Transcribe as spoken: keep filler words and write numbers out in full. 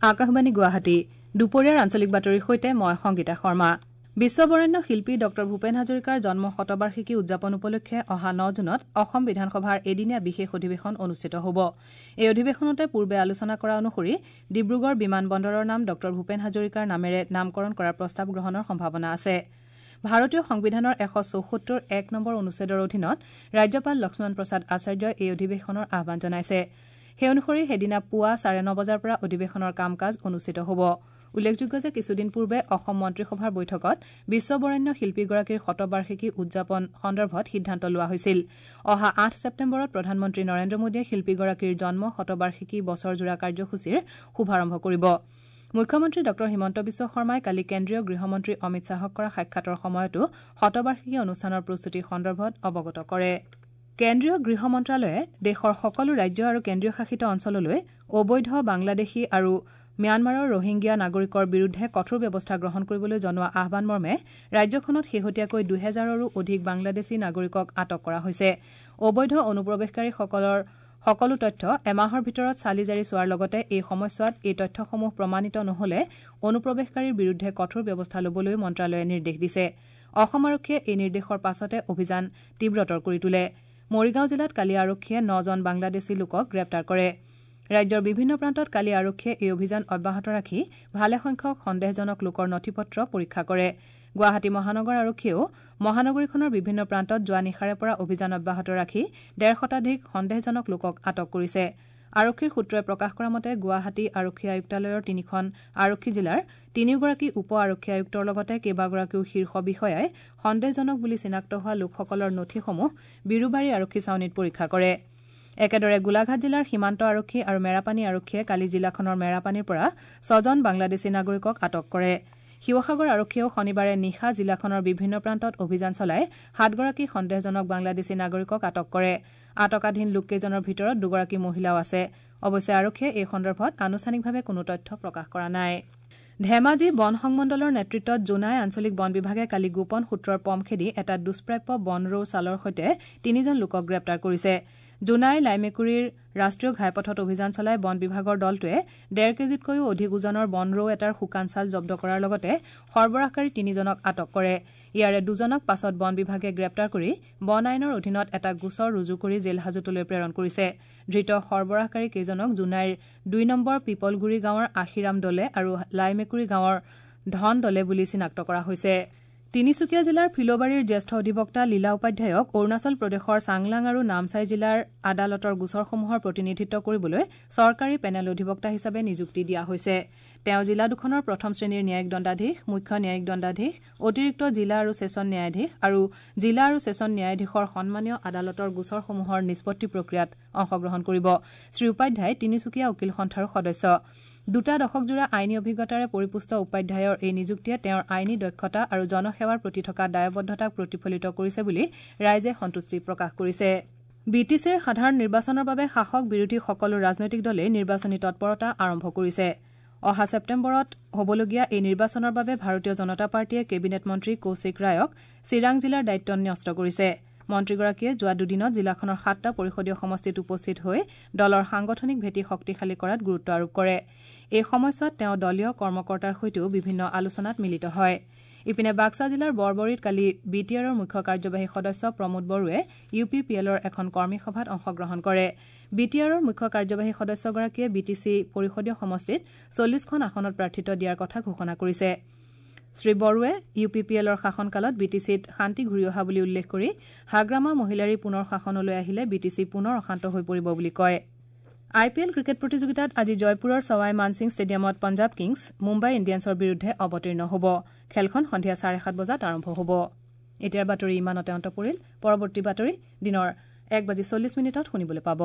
আকাশবাণী গুৱাহাটী দুপৰীয়াৰ আঞ্চলিক বাতৰিৰ সৈতে মই সংগীতা শৰ্মা। বিশ্ববৰেণ্য শিল্পী ডঃ ভূপেন হাজৰিকাৰ জন্ম শতবাৰ্ষিকী উদযাপন উপলক্ষে অহা ন জুনত অসম বিধানসভাৰ এদিনীয়া বিশেষ অধিৱেশন অনুষ্ঠিত হ'ব। এই অধিৱেশনতে পূৰ্বে আলোচনা কৰা অনুসৰি ডিব্ৰুগড় বিমান বন্দৰৰ নাম ডঃ ভূপেন হাজৰিকাৰ নামেৰে নামকৰণ কৰাৰ প্ৰস্তাৱ গ্ৰহণৰ সম্ভাৱনা আছে। ভাৰতীয় সংবিধানৰ এশ চৌসত্তৰ এক নম্বৰ অনুচ্ছেদৰ অধীনত ৰাজ্যপাল লক্ষ্মণ প্ৰসাদ আচাৰ্যই এই অধিৱেশনৰ আহ্বান জনাইছে। সেই অনুসৰি সেইদিনা পুৱা চাৰে ন বজাৰ পৰা অধিৱেশনৰ কাম কাজ অনুষ্ঠিত হ'ব। উল্লেখযোগ্য যে কিছুদিন পূৰ্বে অসম মন্ত্ৰীসভাৰ বৈঠকত বিশ্ববৰেণ্য শিল্পীগৰাকীৰ শতবাৰ্ষিকী উদযাপন সন্দৰ্ভত সিদ্ধান্ত লোৱা হৈছিল। অহা আঠ ছেপ্টেম্বৰত প্ৰধানমন্ত্ৰী নৰেন্দ্ৰ মোদীয়ে শিল্পীগৰাকীৰ জন্ম শতবাৰ্ষিকী বছৰজোৰা কাৰ্যসূচীৰ শুভাৰম্ভ কৰিব। মুখ্যমন্ত্ৰী ডঃ হিমন্ত বিশ্ব শৰ্মাই কালি কেন্দ্ৰীয় গৃহমন্ত্ৰী অমিত শ্বাহক কৰা সাক্ষাতৰ সময়তো শতবাৰ্ষিকী অনুষ্ঠানৰ প্ৰস্তুতি সন্দৰ্ভত অৱগত কৰে। কেন্দ্ৰীয় গৃহ মন্ত্ৰালয়ে দেশৰ সকলো ৰাজ্য আৰু কেন্দ্ৰীয় শাসিত অঞ্চললৈ অবৈধ বাংলাদেশী আৰু ম্যানমাৰৰ ৰোহিংগীয়া নাগৰিকৰ বিৰুদ্ধে কঠোৰ ব্যৱস্থা গ্ৰহণ কৰিবলৈ জনোৱা আহ্বান মৰ্মে ৰাজ্যখনত শেহতীয়াকৈ দুহেজাৰৰো অধিক বাংলাদেশী নাগৰিকক আটক কৰা হৈছে। অবৈধ অনুপ্ৰৱেশকাৰীসকলৰ সকলো তথ্য এমাহৰ ভিতৰত চালি জাৰি চোৱাৰ লগতে এই সময়ছোৱাত এই তথ্যসমূহ প্ৰমাণিত নহ'লে অনুপ্ৰৱেশকাৰীৰ বিৰুদ্ধে কঠোৰ ব্যৱস্থা ল'বলৈও মন্ত্ৰালয়ে নিৰ্দেশ দিছে। অসম আৰক্ষীয়ে এই নিৰ্দেশৰ পাছতে অভিযান তীব্ৰতৰ কৰি তোলে। মৰিগাঁও জিলাত কালি আৰক্ষীয়ে নজন বাংলাদেশী লোকক গ্ৰেপ্তাৰ কৰে। ৰাজ্যৰ বিভিন্ন প্ৰান্তত কালি আৰক্ষীয়ে এই অভিযান অব্যাহত ৰাখি ভালেসংখ্যক সন্দেহজনক লোকৰ নথি-পত্ৰ পৰীক্ষা কৰে। গুৱাহাটী মহানগৰ আৰক্ষীয়েও মহানগৰীখনৰ বিভিন্ন প্ৰান্তত যোৱা নিশাৰে পৰা অভিযান অব্যাহত ৰাখি ডেৰ শতাধিক সন্দেহজনক লোকক আটক কৰিছে। আৰক্ষীৰ সূত্ৰই প্ৰকাশ কৰা মতে গুৱাহাটী আৰক্ষী আয়ুক্তালয়ৰ তিনিখন আৰক্ষী জিলাৰ তিনিওগৰাকী উপ আৰক্ষী আয়ুক্তৰ লগতে কেইবাগৰাকীও শীৰ্ষ বিষয়াই সন্দেহজনক বুলি চিনাক্ত হোৱা লোকসকলৰ নথিসমূহ বিৰুবাৰী আৰক্ষী ছাউনীত পৰীক্ষা কৰে। একেদৰে গোলাঘাট জিলাৰ সীমান্ত আৰক্ষী আৰু মেৰাপানী আৰক্ষীয়ে কালি জিলাখনৰ মেৰাপানীৰ পৰা ছজন বাংলাদেশী নাগৰিকক আটক কৰে। শিৱসাগৰ আৰক্ষীয়েও শনিবাৰে নিশা জিলাখনৰ বিভিন্ন প্ৰান্তত অভিযান চলাই সাতগৰাকী সন্দেহজনক বাংলাদেশী নাগৰিকক আটক কৰে। আটকাধীন লোককেইজনৰ ভিতৰত দুগৰাকী মহিলাও আছে। অৱশ্যে আৰক্ষীয়ে এই সন্দৰ্ভত আনুষ্ঠানিকভাৱে কোনো তথ্য প্ৰকাশ কৰা নাই। ধেমাজি বন সংমণ্ডলৰ নেতৃত্বত জোনাই আঞ্চলিক বন বিভাগে কালি গোপন সূত্ৰৰ পম খেদি এটা দুষ্প্ৰাপ্য বন ৰৌ ছালৰ সৈতে তিনিজন লোকক গ্ৰেপ্তাৰ কৰিছে। জোনাই লাইমেকুৰীৰ ৰাষ্ট্ৰীয় ঘাইপথত অভিযান চলাই বন বিভাগৰ দলটোৱে ডেৰ কেজিতকৈও অধিক ওজনৰ বন ৰৌ এটাৰ শুকান ছাল জব্দ কৰাৰ লগতে সৰবৰাহকাৰী তিনিজনক আটক কৰে। ইয়াৰে দুজনক পাছত বন বিভাগে গ্ৰেপ্তাৰ কৰি বন আইনৰ অধীনত এটা গোচৰ ৰুজু কৰি জেল হাজোতলৈ প্ৰেৰণ কৰিছে। ধৃত সৰবৰাহকাৰী কেইজনক জোনাইৰ দুই নম্বৰ পিপলগুৰি গাঁৱৰ আশিৰাম দলে আৰু লাইমেকুৰী গাঁৱৰ ধন দলে বুলি চিনাক্ত কৰা হৈছে। তিনিচুকীয়া জিলাৰ ফিল'বাৰীৰ জ্যেষ্ঠ অধিবক্তা লীলা উপাধ্যায়ক অৰুণাচল প্ৰদেশৰ চাংলাং আৰু নামচাই জিলাৰ আদালতৰ গোচৰসমূহৰ প্ৰতিনিধিত্ব কৰিবলৈ চৰকাৰী পেনেল অধিবক্তা হিচাপে নিযুক্তি দিয়া হৈছে। তেওঁ জিলা দুখনৰ প্ৰথম শ্ৰেণীৰ ন্যায়িক দণ্ডাধীশ, মুখ্য ন্যায়িক দণ্ডাধীশ, অতিৰিক্ত জিলা আৰু ছেছন ন্যায়াধীশ আৰু জিলা আৰু ছেছন ন্যায়াধীশৰ সন্মানীয় আদালতৰ গোচৰসমূহৰ নিষ্পত্তি প্ৰক্ৰিয়াত অংশগ্ৰহণ কৰিব। শ্ৰী উপাধ্যায় তিনিচুকীয়া উকীল সন্থাৰো সদস্য। দুটা দশকজোৰা আইনী অভিজ্ঞতাৰে পৰিপুষ্ট উপাধ্যায়ৰ এই নিযুক্তিয়ে তেওঁৰ আইনী দক্ষতা আৰু জনসেৱাৰ প্ৰতি থকা দায়বদ্ধতাক প্ৰতিফলিত কৰিছে বুলি ৰাইজে সন্তুষ্টি প্ৰকাশ কৰিছে। বি টি চিৰ সাধাৰণ নিৰ্বাচনৰ বাবে শাসক বিৰোধী সকলো ৰাজনৈতিক দলে নিৰ্বাচনী তৎপৰতা আৰম্ভ কৰিছে। অহা ছেপ্টেম্বৰত হ'বলগীয়া এই নিৰ্বাচনৰ বাবে ভাৰতীয় জনতা পাৰ্টীয়ে কেবিনেট মন্ত্ৰী কৌশিক ৰায়ক চিৰাং জিলাৰ দায়িত্ব ন্যস্ত কৰিছে। মন্ত্ৰীগৰাকীয়ে যোৱা দুদিনত জিলাখনৰ সাতটা পৰিষদীয় সমষ্টিত উপস্থিত হৈ দলৰ সাংগঠনিক ভেটি শক্তিশালী কৰাত গুৰুত্ব আৰোপ কৰে। এই সময়ছোৱাত তেওঁ দলীয় কৰ্মকৰ্তাৰ সৈতেও বিভিন্ন আলোচনাত মিলিত হয়। ইপিনে বাক্সা জিলাৰ বৰবৰীত কালি বি টি আৰৰ মুখ্য কাৰ্যবাহী সদস্য প্ৰমোদ বড়োৱে ইউ পি পি এলৰ এখন কৰ্মী সভাত অংশগ্ৰহণ কৰে। বি টি আৰৰ মুখ্য কাৰ্যবাহী সদস্যগৰাকীয়ে বি টি চি পৰিষদীয় সমষ্টিত চল্লিছখন আসনত প্ৰাৰ্থিত্ব দিয়াৰ কথা ঘোষণা কৰিছে। শ্ৰী বড়োৱে ইউ পি পি এলৰ শাসনকালত বি টি চিত শান্তি ঘূৰি অহা বুলি উল্লেখ কৰি হাগ্ৰামা মহিলাৰী পুনৰ শাসনলৈ আহিলে বি টি চি পুনৰ অশান্ত হৈ পৰিব বুলি কয়। আই পি এল ক্ৰিকেট প্ৰতিযোগিতাত আজি জয়পুৰৰ ছৱাই মানসিং ষ্টেডিয়ামত পঞ্জাৱ কিংছ মুম্বাই ইণ্ডিয়ানছৰ বিৰুদ্ধে অৱতীৰ্ণ হ'ব। খেলখন সন্ধিয়া চাৰে সাত বজাত আৰম্ভ হ'ব। এতিয়াৰ বাতৰি ইমানতে অন্ত পৰিল। পৰৱৰ্তী বাতৰি দিনৰ এক বাজি চল্লিছ মিনিটত শুনিবলৈ পাব।